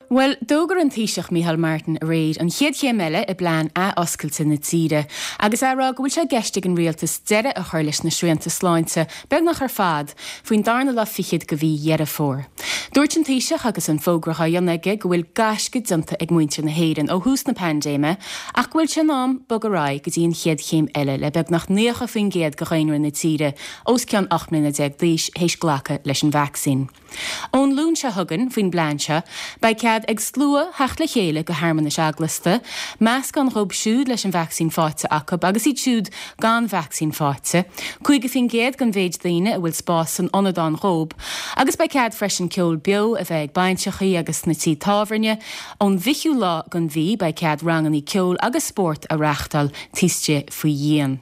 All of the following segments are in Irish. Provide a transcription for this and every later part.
Bhuel, d'fhógair an Taoiseach Micheál Martin aréir an chéad chéim eile i bplean athoscailte na tíre agus é ag rá go bhfuil sé i gceist ag an rialtas deireadh a chur leis na srianta sláinte, beagnach ar fad, faoin darna lá fichead de mhí Dheireadh Fómhair. Dúirt an Taoiseach agus an fógra á dhéanamh aige go bhfuil gaisce déanta ag muintir na hÉireann ó thús na paindéime ach go bhfuil sé in am bogadh ar aghaidh go dtí an chéad chéim eile le beagnach 90% de dhaonra na tíre os cionn 18 mbliana d'aois théis glacadh leis an vacsaín. Ón Luan seo chugainn, faoin bplean seo, beidh cead ag slua theacht le chéile go shearmanais eaglasta, meascán dhóibh siúd leis an vacsaín faighte acu agus iad siúd gan vacsaín faighte, 50% den mhéid daoine a bhfuil spás san ionad ann dhóibh, agus beidh cead freisin ceol beo a bheith ag bainseachaí agus sna tithe tábhairne. Ón bhfichiú lá den mhí beidh cead rangannaí ceoil agus spórt a reáchtáil taobh istigh faoi dhíon.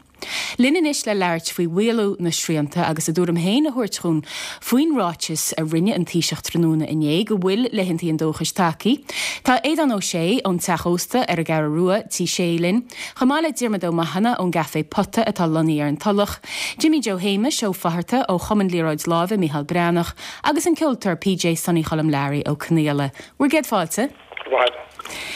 Linn anois le labhairt faoi mhaolú na srianta agus a dtuairim féin a thabhairt dhúinn faoin ráiteas a rinne an Taoiseach tráthnóna inné go bhfuil laethantaí an dóchais tagtha, tá Aodán Ó Sé ón Teach Ósta ar an gCeathrú Rua, Tí Sé linn, chomh maith le Diarmuid Ó Mathúna ón gCaifé Pota atá lonnaithe ar an Tulach, Jimmy Joe Shéamais Ó Fatharta ó Chumann Liathróid Láimhe Micheál Breathnach agus an ceoltóir PJ Sonny Choilm Learaí Ó Conaola. Bhur gcéad fáilte. Go maith.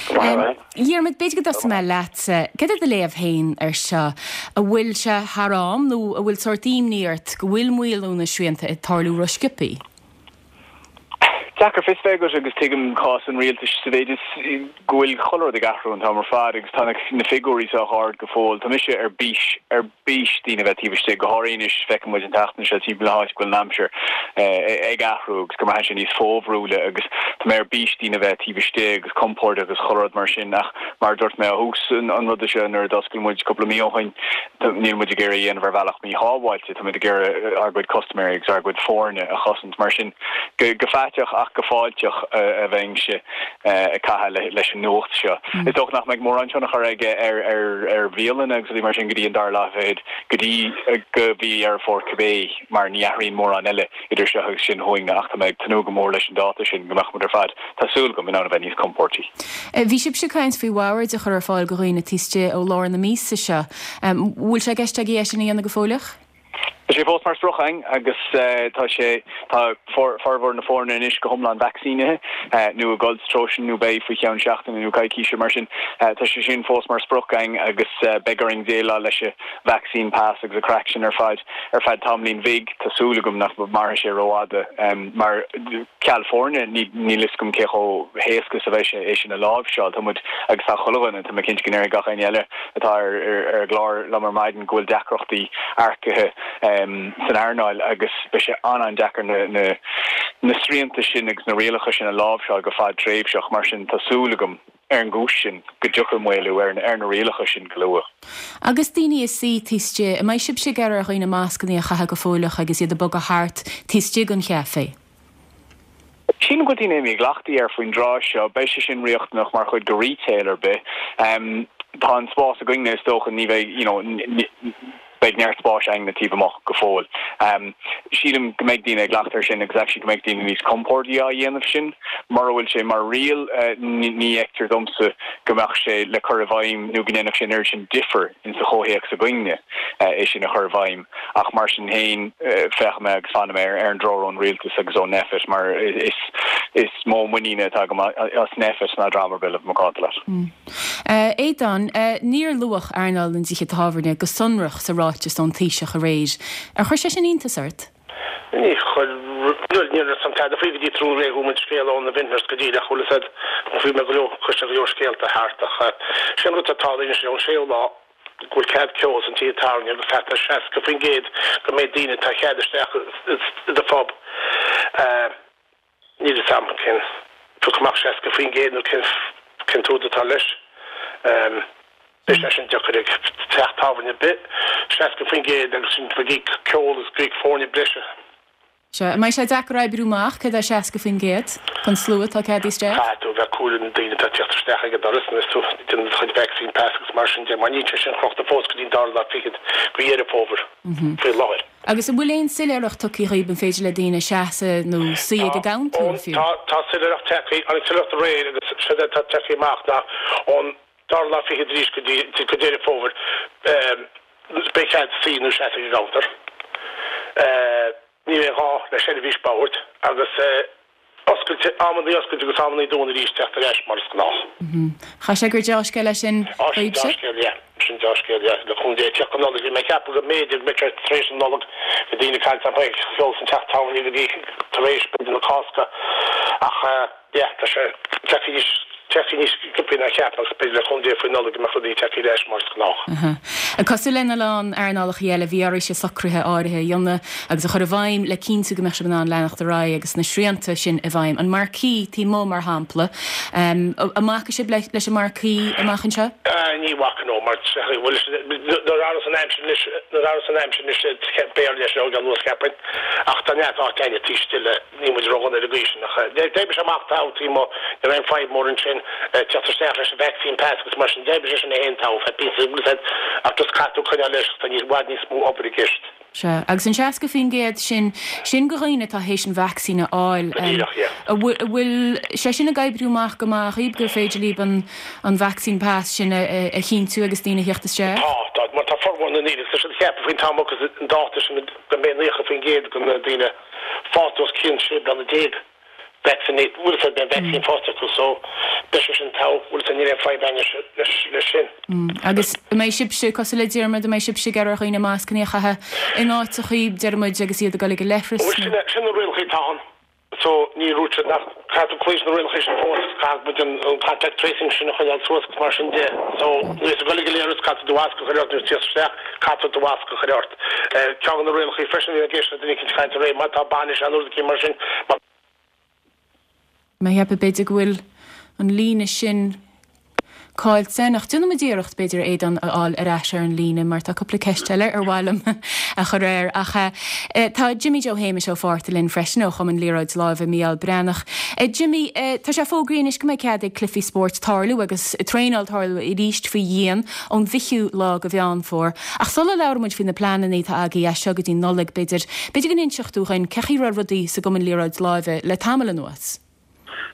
Go maith. Dhiarmuid, b'fhéidir go dtosóidh mé leatsa. Cad é do léamh féin ar seo? An bhfuil sé thar am nó an bhfuil sórt imní ort go bhfuil maolú na srianta ag tarlú ró-sciobthaí? Deacair fios bheith agat agus tuigim cás an rialtais sa mhéid is go bhfuil chuile rud ag athrú an t-am ar fad agus tá na figiúirí sách ard go fóill. Tá mise ar bís, ar bís daoine a bheith taobh istigh, go háirithe anois, feiceann muid an tseachtain seo timpeall na háite go bhfuil an aimsir ag athrú agus go mbraitheann sé níos fómharúla agus tá mé ar bís daoine a bheith taobh istigh agus compordach agus chuile rud mar sin ach mar a dúirt mé ó thús an ruda seo nuair a d'oscail muid cúpla mí ó shin, níl muid ag iarraidh a dhéanamh ar bhealach míshábháilte, tá muid ag iarraidh ár gcuid custaiméirí agus ár gcuid foirne a chosaint mar sin go faiteach ach go fáilteach a bheinnse. ag caitheamh leis an nuacht seo. Is dócha nach mbeidh mórán tionchar aige ar bhialanna agus rudaí mar sin go dtí an dara lá fichead go dtí go mhí Dheireadh Fómhair cibé mar ní athraíonn mórán eile idir seo agus sin chugainn ach tá mé ag tnúth go mór leis an dáta sin go mbeadh muid ar fad, tá súil agam, in ann a bheith níos compóirtí. Bhí sibhse ag caint faoi bhoird a chur ar fáil go dhaoine taobh istigh ó lár na míosa seo. Bhfuil sé i gceist agaibh é sin a dhéanamh go fóilleach? Tá sé fós mar sprioc againn agus tá sé, tá formhór na foirne anois go hiomlán vacsaínithe nó ag dul sa treo sin nó beidh faoi cheann seachtaine nó coicíse mar sin tá sé sin fós mar sprioc againn agus beidh orainn déileáil leis an vaccine pass agus an craic sin ar fad ar feadh tamaillín bhig. Tá súil agam nach mairfidh sé rófhada mar ceal foirne níl fhios agam cé chomh héasca is a bheidh sé é sin a láimhseáil. Tá muid agus tá chuile dhuine, tá mé cinnte go ndéarfaidh gach éinne eile atá ar an gclár liom ar maidin go bhfuil deacrachtaí earcaithe san earnáil agus beidh sé an-an-deacair na srianta sin agus na rialacha sin a láimhseáil go fadtréimhseach. Mar sin, tá súil agam, ar an gcúis sin, go dtiocfaidh maolú ar na rialacha sin go luath. Agus daoine ag suí taobh istigh, an mbeidh sibhse ag iarraidh ar dhaoine mascanna a chaitheamh go fóilleach agus iad ag bogadh thart taobh istigh den chaifé? Sílim go bhfuil daoine imithe i gcleachtadh air faoin dtráth seo. Beidh sé sin riachtanach mar chuid de retail ar bith. Tá an spás againne, is dócha, ní bheidh, you know, beidh neart spáis againne taobh amuigh go fóill. Sílim go mbeidh daoine i gcleachtadh air sin agus actually go mbeidh daoine níos compórdaí á dhéanamh sin. Mura bhfuil sé mar riail, ní fheictear domsa go mbeadh sé le cur i bhfeidhm nó go ndéanfadh sé an oiread sin difir insa chomhthéacs againne é sin a chur i bhfeidhm. Ach mar sin féin, féachfaidh mé agus fanfaidh mé ar an dtreoir ón rialtas agus ó Nphet mar is mó muiníne atá agam as Nphet ná dream ar bith le bheith macánta leat. Aodán, níor luadh earnáil na dtithe tábhairne go sonrach sa ráiteas ón Taoiseach aréir. Ar chuir sé sin iontas ort? Ní chuir, bhuel, ní raibh fhios a'm tada faoi go dtí tráthnóna aréir chuala muid scéal ó na Vintners go díreach, bhfuil fhios a'd, bhí mé go leor, chuir sé go leor scéalta thart ach sé an rud atá ag tarlú anois ón séú lá, go bhfuil cead ceoil sna tithe tábhairne agus thart ar 60% den méid daoine atá cead isteach i do phub. Níl fhios a'm cén pioc amach 60% nó cén cén t-údar atá leis. Beidh sé sin deacair ag teach tábhairne ar bith, 60% agus sin ag íoc ceol agus ag íoc foirne breise. Sea, an mbeidh sé deacair oibriú amach céard é 60% den slua atá ceadaithe isteach? Caithfidh tú a bheith ag comhaireamh na daoine atá ag teacht isteach ag an doras nuair is tú ag déanamh do chuid vaccine pass agus mar sin de, mar níl sé sin crochta fós go dtí an dara lá fichead de Dheireadh Fómhair faoi láthair. Agus an bhfuil aon soiléireacht tugtha dhaoib an féidir le daoine seasamh nó suí ag an gcounter fiú? Tá, tá soiléireacht tagtha, tháinig soiléireacht aréir agus séard atá tagtha amach ná ón dara lá fichead arís go dtí go Deireadh Fómhair beidh cead suí nó seasamh ag an gcounter. Ní bheidh gá le seirbhís boird agus. oscailte, amannaí oscailte agus amannaí dúnta arís teacht ar ais mar is gnách. Chaithfidh sé gur deá-scéal é sin Á, sin daoibhse? deá-scéal, yeah. Sin deá-scéal, yeah. Le cúnamh Dé, teacht an Nollaig, bhí mé ag ceapadh go mb'fhéidir go mbeadh sé tar éis an Nollaig, bhí daoine ag caint nach mbeadh ceol san teach tábhairne go dtí tar éis, b'fhéidir, na Cásca ach eh, yeah, tá sé tagtha níos, tagtha níos sciobtha ná cheap agus b'fhéidir le cúnamh Dé faoin Nollaig go mbeadh rudaí tagtha ar ais mar is gnách. Aha. Cosúil lena lán earnálacha eile, bhí oraibhse socruithe áirithe a dhéanamh agus a chur i bhfeidhm le cinntiú go mbeadh sibh in ann leanacht ar aghaidh agus na srianta sin i bhfeidhm. An marquee taobh amuigh, mar shampla. An mbacfaidh sibh leis an marquee amach anseo? Ní bhacfaidh, no, mar bhuel, nuair a athróidh an aimsir anois, nuair a athróidh an aimsir anois, b'fhearr leis an óige anuas, cheapfainn. Ach tá neart áit againne taobh istigh le, níl muid ródhona ar an gcaoi sin ach d'oibrigh sé amach togha taobh amuigh, ní raibh aon fadhb mór ansin, teacht isteach leis an vaccine pass agus mar sin, d'oibrigh sé sin é féin togha, feadh píosa, bhfuil a fhios a'd, ach just caithfidh tú coinneáil leis ach tá níos, i bhfad níos mó obair i gceist. Sea, agus an 60% sin, sin do dhaoine atá théis an vacsaín a fháil. Go díreach, yeah. An bhfuil sé sin ag oibriú amach go maith dhaoib gur féidir libh an an vaccine pass sin a chinntiú agus daoine a theacht isteach? Tá, tá, mar tá formhór na ndaoine, agus tá siad ag ceapadh faoin t-am agus an dáta sin go mbeidh 90% de na daoine fásta os cionn 16 bliana vaccinated, bhfuil a fhios a'd, beidh an vaccine faighte acu so beidh sé sin togha, bhfuil a fhios a'd, níl aon fadhb againn leis, leis sin. Agus an mbeidh sibhse, cosúil le Diarmuid, an mbeidh sibhse ag iarraidh ar dhaoine mascanna a chaitheamh in áiteachaí, deir muid, agus iad ag dul ag an leithreas Bhuel nó? sin, sin na rialacha atá ann. So ní dúirt siad nach caithfidh tú cloí leis na rialacha sin fós, caithfidh muid an contact tracing sin a choinneáil suas agus mar sin de. So nuair is ag dul ag an leithreas caithfidh tú do mhasc a chur ort, nuair is tíocht isteach caithfidh tú do mhasc a chur ort. Ceann de na rialacha freisin a bhí ag éisteacht le duine eicínt ag caint aréir, má tá bainis ann nó rud eicínt mar sin, má. Mé ag ceapadh b'fhéidir go bhfuil an líne sin caillte ach déanfaimid iarracht, b'fhéidir, Aodán a fháil ar ais ar an líne mar tá cúpla ceist eile ar mhaith liom a chur air. Ach tá Jimmy Joe Shéamais Ó Fátharta linn freisin ó Chumann Liathróid Láimhe Mícheál Breathnach. Jimmy, tá sé fógraithe anois go mbeidh cead ag cluichí spóirt tarlú agus traenáil tarlú arís faoi dhíon ón bhfichiú lá de Mheán Fómhair. Ach sula labhraíonn muid faoi na pleananna atá agaibh as seo go dtí Nollaig, b'fhéidir, b'fhéidir go n-inseodh tú dhuinn cén chaoi a raibh rudaí sa gCumann Liathróid Láimhe le tamall anuas?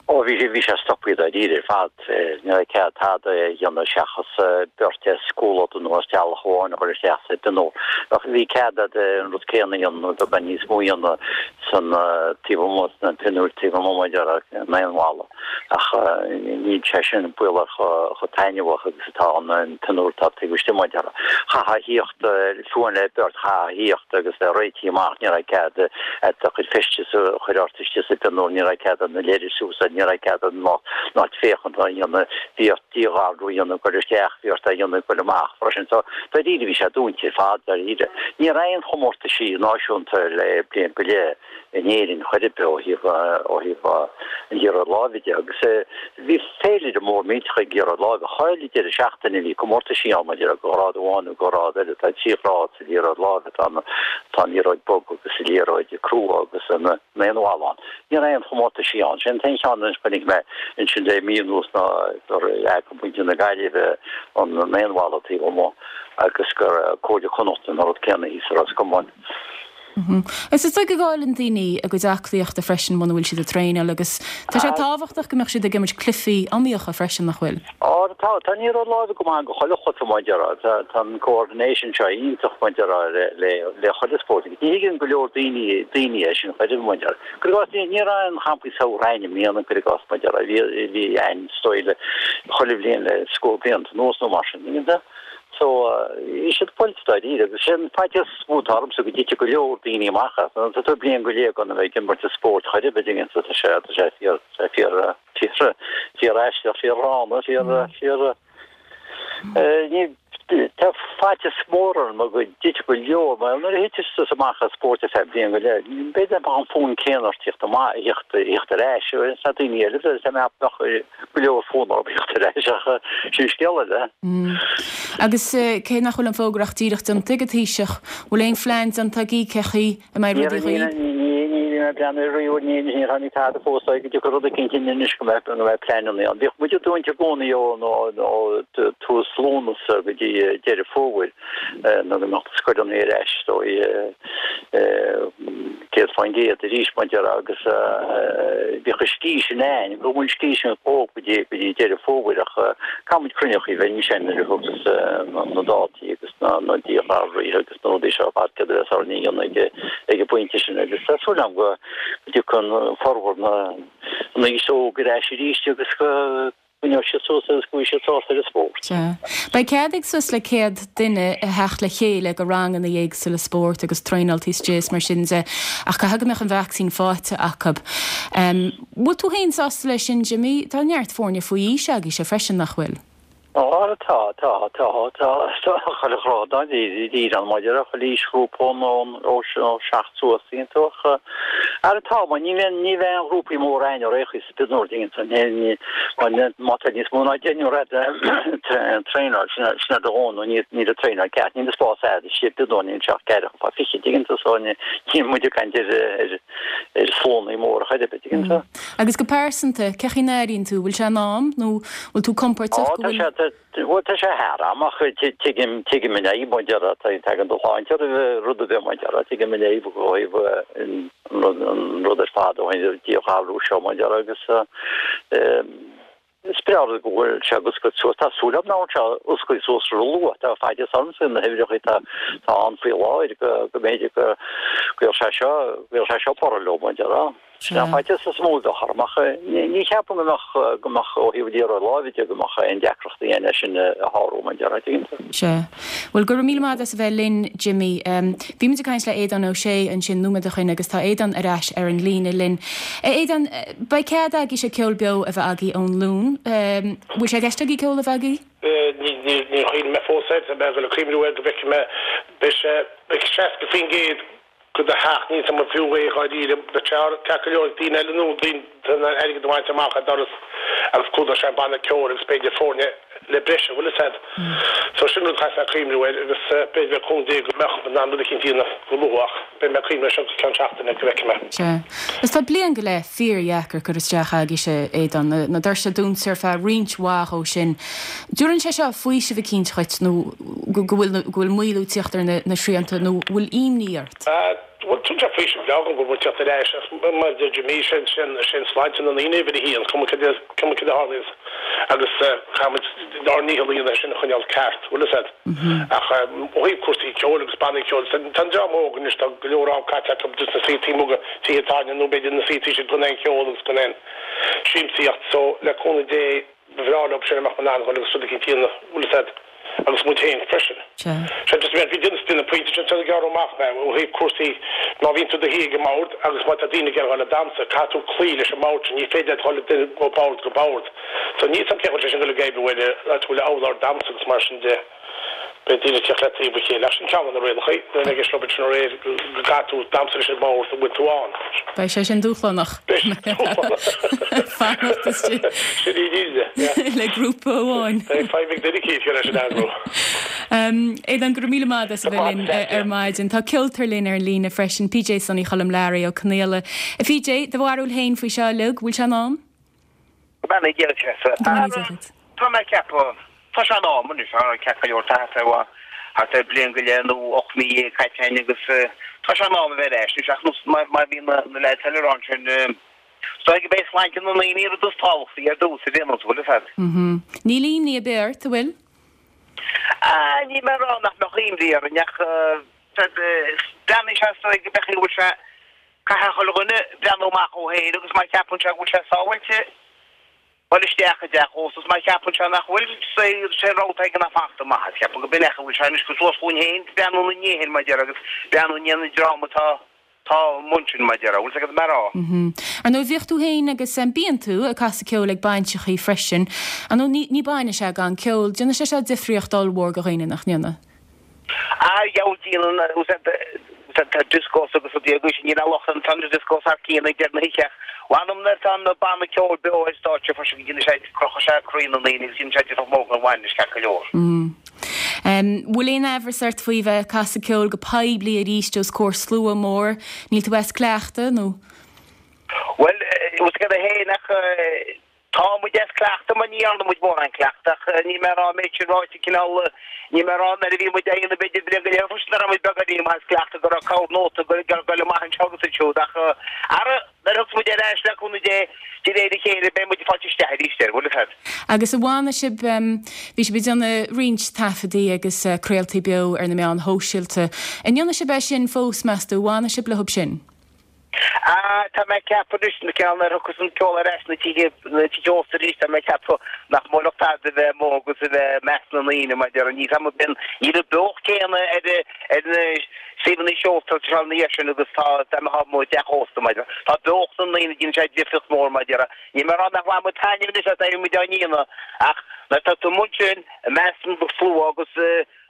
Ó, bhí sé, bhí sé stoptha dáiríre ar fad. Ní raibh cead tada a dhéanamh seachas beirt as comhluadar nó as teaghlach amháin a chur isteach sa bpionúr. Ach bhí cead a'd an rud céanna a dhéanamh nó beagán níos mó a dhéanamh san taobh amuigh sna pionúir taobh amuigh mar a déarfá an naonbhalla. Ach níl sé sin baolach chomh taitneamhach agus atá an pionúr atá taobh istigh mar a déarfá. Chaithfeá a thíocht, fiú amháin le beirt, chaithfeá a thíocht agus bheith réitithe amach, ní raibh cead a'd do chuid feistis a chur ort istigh sa bpionúr, ní raibh cead a'd na leithris a úsáid, ní raibh cead a'd an lucht féachana a dhéanamh, bhí ort díghalrú a dhéanamh ag goil isteach, bhí ort é a dhéanamh ag goil amach freisin. So, dáiríre bhí sé dúnta ar fad, dáiríre. Ní raibh aon chomórtaisí náisiúnta le bliain go leith in Éirinn chor ar bith ó thaobh, ó thaobh an liathróid láimhe de agus bhí féilire mór millteach ag liathróid láimhe. Chuile deireadh seachtaine bhí comórtaisí ann maidir le grád amháin nó grád eile. Tá trí ghrád sa liathróid láimhe, tá an, tá an liathróid bog agus an liathróid crua agus an naonbhalla ann. Ní raibh aon chomórtaisí ann. Sé an t-aon cheann a chonaic mé ansin le mí anuas ná gur eagraigh muintir na Gaillimhe an naonbhalla taobh amuigh agus gur Comhairle Chonnacht an rud céanna thíos i Ros Comáin. Is is dóigh go gcailleann daoine a gcuid aclaíochta freisin muna bhfuil siad ag traenáil agus tá sé tábhachtach go mbeadh siad ag imirt cluichí iomaíocha freisin, nach bhfuil? Á, tá, tá an liathróid láimhe go maith go chuile chluiche mar a déarfá. Tá, tá an coordination seo iontach mar a déarfá le, le, le chuile spórt. Ní thuigeann go leor daoine, daoine é sin chor ar bith mar a déarfá. Cuir i gcás, ní, ní raibh aon champaí samhraidh a'inn i mbliana, cuir i gcás mar a déarfá. Bhí, bhí a'inn is dóigh le chuile bhliain le scór blianta anuas nó mar sin. So, bhí siad buailte dáiríre agus sin faitíos is mó atá ormsa go dtitfidh go leor daoine amach as. Tá tú bliain go leith gan a bheith ag imirt an spóirt chor ar bith an dtuigeann tú, tá sé, tá sé fíor, tá sé fíor, fíor, fíor aisteach, fíor ghránna, fíor, fíor, ní, tá faitíos mór orm go dtitfidh go leor, mar nuair a thiteas tusa amach as spórt ar feadh bliain go leith, b'fhéidir nach mbeadh an fonn céanna ort tíocht amach, thíocht, thíocht ar ais, tá daoine eile, tá mé ach go leor fonn orthu thíocht ar ais ach sin scéal eile. Agus cé nach bhfuil an fógra ach díreach déanta ag an Taoiseach, bhfuil aon phlean déanta agaibh cé chaoi a mbeidh rudaí dhaoibh? Ní bhí mé ag breathnú riamh, níor tháinig tada fós go dtiocfaidh rud eicínt anois go mbeidh pleananna ann. Bhíodh muid dúnta i gcónaí ó tús Lúnasa go dtí Deireadh Fómhair. Nuair a mbeadh na scoileanna ar ais is dóigh 100% arís mar a déarfá agus bhíodh an scíth sin a'inn, go bhfuil an scíth sin chomh go dtí go dtí Deireadh Fómhair ach caithfidh muid cruinniú a bheith ansin nuair a thiocfas na dátaí agus na díghalraithe agus na rudaí seo ar fad céard a bheas orainn a dhéanamh ag an bpointe sin agus tá súil agam go. dtiocfaidh formhór na an aos óg ar ais arís agus go gcoinneoidh siad suas agus go bhfaighidh siad sásamh ar an spórt. Sea. Beidh cead ag suas le 100 duine a theacht le chéile go ranganna éagsúla spóirt agus traenáil taobh istigh is mar sin de ach caithfidh go mbeadh an vacsaín faighte acu. Bhfuil tú féin sásta leis sin, Jimmy? Tá neart foirne faoi aois agaibhse freisin, nach bhfuil? Á, tá, tá, tá, tá, tá, chuile ghrád dáiríre ann maidir le chuile aoisghrúpa ón, ón, ó 7 suas, tuigeann tú, ach, ara tá, mar ní bheidh, ní bheidh aon ghrúpaí móra againn ar aon chaoi sa bpionúr, tuigeann tú, ní, ní, mar má tá níos mó ná deichniúr a'd ag traenáil, sin, sin ar do dhóthain, nó níl, níl an traenáil ceart, níl an spás a'd istigh i bpionúr, níl sé ach ceathracha fá fichid, tuigeann tú, so ní, níl muid ag caint ar, ar, ar sluannaí móra chor ar bith, tuigeann tú. Agus go pearsanta, cé chaoi n-airíonn tú? Bhfuil sé in am nó bhfuil tú compordach go bhfuil. Tá sé, bhuel tá sé thar am ach tuigim, tuigim an fhadhb mar a déarfá, tagann do shláinte roimh rud ar bith mar a déarfá, tuigim an fhadhb ó thaobh an rud, an rud ar fad ó thaobh an díghalrú seo mar a déarfá agus is breá rud go bhfuil sé ag oscailt suas, tá súil agam nach bhfuil sé ag oscailt suas ró-luath, tá faitíos ormsa na huimhreacha atá ann faoi láthair go mb'fhéidir go gcuirfeadh sé seo, go gcuirfeadh sé seo borradh leo mar a déarfá. Sin an faitíos is mó a bheadh orm ach ní cheapaim go mbeadh, go mbeadh ó thaobh liathróid láimhe de, go mbeadh aon deacrachtaí ann é sin a shárú mar a déarfá, tuigeann tú. Sea. Bhuel, go raibh míle maith agat as a bheith linn, Jimmy. Bhí muid ag caint le Aodán Ó Sé ansin nóiméad ó shin agus tá Aodán ar ais ar an líne linn. A Aodáin, beidh cead agaibhse ceol beo a bheith agaibh ón Luan. Bhfuil sé i gceist agaibh ceol a bheith agaibh? Níor chuimhnigh mé fós air, tá mé ag dul a cuimhniú air go bhfeicfidh mé. Beidh sé, beidh 60% go do theach, níl 's a'm an fiú é dháiríre, beidh sé ceart go leor ag daoine eile nó daoine in ann airgead a bhaint amach ar doras agus clúdóidh sé an banna ceoil agus b'fhéidir foirne le breis, an bhfuil 'fhios a'd. So sin rud a chaithfeas mé cuimhniú air agus b'fhéidir le cúnamh Dé go mbeadh in ann rud eicínt a dhéanamh go luath ach beidh mé ag cuimhniú air seo go ceann seachtaine go bhfeicfidh mé. Sea. Is tá bliain go leith fíor-dheacair curtha isteach agaibhse, Aodán, na doirse dúnta ar feadh roinnt mhaith ó sin. Dtabharann sé seo faoiseamh eicínt dhuit nó go bhfuil go bhfuil maolú ag tíocht ar na srianta nó bhfuil imní ort? Bhuel, tugann sé faoiseamh breá dhom go bhfuil muid ag tíocht ar ais ach mar a deir Jimí, sé sé an sláinte na ndaoine uimhir a haon, cuma cad é cuma cad a tharlaíonns agus caithfimid ár ndícheall a dhéanamh é sin a choinneáil ceart, bhfuil fhios a'd. Ach ó thaobh cúrsaí ceoil agus bannaí ceoil, tá an dream óg anois, tá go leor am caite acu just ina suí taobh amuigh de tithe tábhairne nó b'fhéidir ina suí taobh istigh gan aon cheol agus gan aon siamsaíocht so le cúnamh Dé, Ba bhreá leo sin a mbeadh in ann dhul agus rud eicínt a dhéanamh, bhfuil fhios a'd, agus muid féin freisin. Sea. Sea, just bhí duine de na pointí sin ag gearradh amach mé ó thaobh cúrsaí, má bhíonn tú i do shuí ag an mbord agus má tá daoine ag iarraidh dhul ag damhsa, caithfidh tú cloí leis an mbord sin, ní féidir leat dhul ó bhord go bord. So níl 's a'm cén chaoi a bhfuil sé sin ag dul ag oibriú ar áit a bhfuil urlár damhsa agus mar sin de. Beidh daoine ag tíocht le taobh a chéile. Ach sin ceann de na rialacha. Nuair a bheidh ag obair sin aréir go gcaithfidh tú damhsa leis an mbord a bhfuil tú ann. Beidh sé sin dúshlánach. Beidh sé dúshlánach. Fanacht istigh. Sin í an fhírinne. Le grúpa amháin. Beidh feidhm ag duine eicínt leis an eagrú. Aodán, go raibh míle maith agat as a bheith linn ar maidin. Tá ceoltóir linn ar an líne freisin, PJ Sonny Choilm Learaí Ó Conaola. A PJ, do bharúil féin faoi seo uilig, bhfuil sé in am? Go mbeannaí Dia duit, Go mbeannaí Dia duit. Tá mé ag ceapadh, tá sé in am anois, tá ceart go leor thart ar thart ar bliain go leith nó 18 mí caite againn agus tá sé in am a bheith ar ais anois ach nós mar mar bhí na na leaids eile ag rá ansin is dóigh gurb é sláinte na ndaoine an rud is tábhachtaí ar dtús ar aon nós, bhfuil fhios a'd. Níl imní ar bith ort, an bhfuil? Ah, níl mé ag rá nach mbeadh imní orainn ach breathnaíonn sé is dóigh go mbeadh go bhfuil sé Caithfidh chuile dhuine breathnú amach dhó féin agus má cheapann sé go bhfuil sé sábháilte dul isteach i dteach ósta is má cheapann sé nach bhfuil, sé an rogha atá aige ná fanacht amach as. Ceapaim go b'in é a bhfuil sé anois gur suas chugainn féin breathnú ina ndiaidh féin mar a déarfá agus breathnú i ndiaidh an dream atá tá amuigh ansin mar a déarfá. Bhfuil 's agat mar a. Ar ndóigh bhíodh tú féin agus bíonn tú ag casadh ceoil ag bainseachaí freisin. Ar ndóigh ní ní bainis é gan ceol. Déanann sé seo difríocht ollmhór go dhaoine nach ndéanann? Ah dheabhail déanann tá discos agus rudaí agus níl aon locht ar na discos thar cionn ag deireadh na hoíche ach mh'anam nuair atá an banna ceoil beo ar stáitse freisin go ndéanann sé croitheann sé croí na ndaoine agus déanann sé difear mór don bhainis ceart go leor. Bhfuil aon aimhreas ort faoi bheith ag casadh ceoil go poiblí arís os comhair slua mór? Níl tú as cleachtadh nó? Bhuel, bhfuil 's agat féin ach Tá muid as cleachtadh mar ní dhearna muid mórán cleachtadh ach níl mé ag rá an méid sin ráite cineál, níl mé ag rá nuair a bhí muid á dhéanamh b'fhéidir bliain go leith freisin nach raibh muid beagáinín maith as cleachtadh go raibh corr-nóta ag goil amach anseo agus ansiúd ach ara nuair a thiocfas muid ar ais le cúnamh Dé de réir a chéile beidh muid ag fáilt isteach arís air, bhfuil 'fhios a'd. Agus an bhfanfaidh sibh, bhí sibh ag déanamh roinnt taifeadaí agus craoltaí beo ar na meáin shóisialta, an ndéanfaidh sibh é sin fós meas tú, an bhfanfaidh sibh leob sin? Ah, tá mé ag ceapadh anois, na ceann ar thiocfas an ceol ar ais na tithe, na tithe ósta arís, tá mé ag ceapadh nach mbuailfeadh tada a bheith amuigh agus a bheith i measc na ndaoine, mar a déarfá, níl am ar bith, níl an beocht céanna ar, ar na suíomhanna seolta seo ina dhiaidh sin agus tá, dá mbeifeá amuigh i dteach ósta, mar a déarfá. Tá beocht na ndaoine, déanann sé difríocht mhór, mar a déarfá. Níl mé ag rá nach bhfaigheann muid taitneamh anois as éirí muid á ndéanamh ach nuair atá tú amuigh ansin i measc an tslua agus,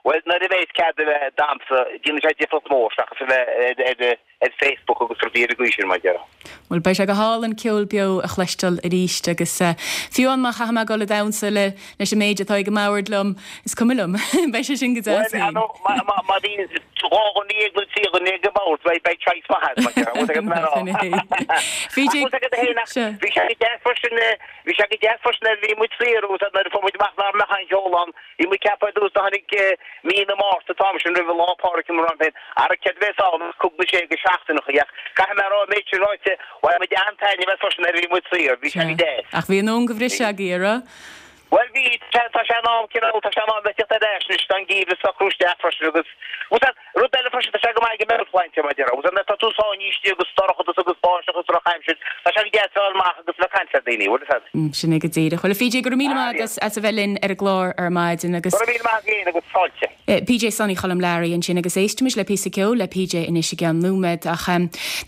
bhuel, nuair a bheas cead a bheith ag damhsa, déanann sé difríocht mhór seachas a bheith ar, ar, ar Facebook agus rudaí ar an gcaoi sin, mar a déarfá. Bhuel, beidh sé go hálainn ceol beo a chloisteáil arís agus fiú amháin má chaithfidh mé dul ag damhsa le leis an méid atá ag an mbord liom, is cuma liom. Beidh sé sin go deas féin. Bhuel, ar ndóigh, má bhíonn 12 dhuine nó 13 dhuine ag an mbord, beidh choice maith agat, mar a déarfá. Bhfuil a fhios agat mar a PJ, Ach bhfuil a fhios agat féin ach bhí sé go deas freisin, bhí sé go deas freisin nuair a bhí muid saor agus nuair a fuair muid amach nach mbeadh aon cheol ann, Bhí muid ag ceapadh ar dtús do tháinig mí na Márta an t-am sin roimh Lá Pádraig mar an féin ara céard a bheas ann ach cúpla sé go seachtaineacha ach caithfidh mé a rá an méid sin ráite bhain muid an-taitneamh as freisin nuair a bhí muid saor, bhí sé go deas. Ach bhí in am go bhriseadh agaibh, an raibh? Bhuel bhí, tá sé in am cineál, tá sé in am bheith ag teacht ar ais anois, tá an geimhreadh ag socrú isteach freisin agus, bhuel tá, rud eile freisin, tá sé go maith ag an meabhairshláinte mar a déarfá, bhuel tá tú sáinnithe istigh agus dorchadas agus báisteach agus drochaimsir, tá sé go deas a fháil amach agus a bheith ag caint le daoine, bhfuil a fhios agat. Sin é go díreach. Bhuel a PJ, go raibh míle maith agat as a bheith linn ar an gclár ar maidin agus. Go raibh míle maith agat féin agus fáilte. PJ Sonny Choilm Learaí ansin agus éistimis le píosa ceoil le PJ anois i gceann nóiméad. Ach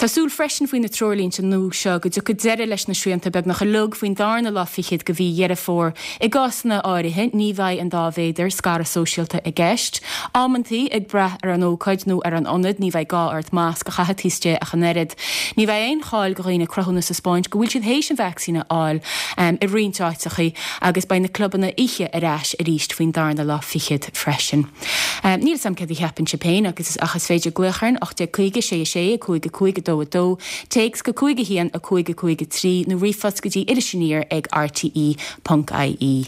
tá súil freisin faoi na treoirlínte nua seo go dtiocfaidh deireadh leis na srianta beagnach uilig faoin darna lá fichead de mhí Dheireadh Fómhair. I gcásanna áirithe ní bheidh an dá mhéadar scaradh sóisialta i gceist. Amantaí, ag brath ar an ócáid nó ar an ionad, ní bheidh gá ort masc a chaitheamh taobh istigh ach an oiread. Ní bheidh aon cháil do dhaoine cruthúnas a 'spáint go bhfuil siad théis an vacsaín a fháil i roinnt áiteachaí agus beidh na clubanna oíche ar ais arís faoin darna lá fichead freisin. Níl 'fhios a'm céard a cheapann sibh féin agus ach is féidir glaoch orainn 1850 6 6 5 5 2 2, téacs go 5 1 5 5 3 nó ríomhphost go dtí irisaniar ag rte.ie.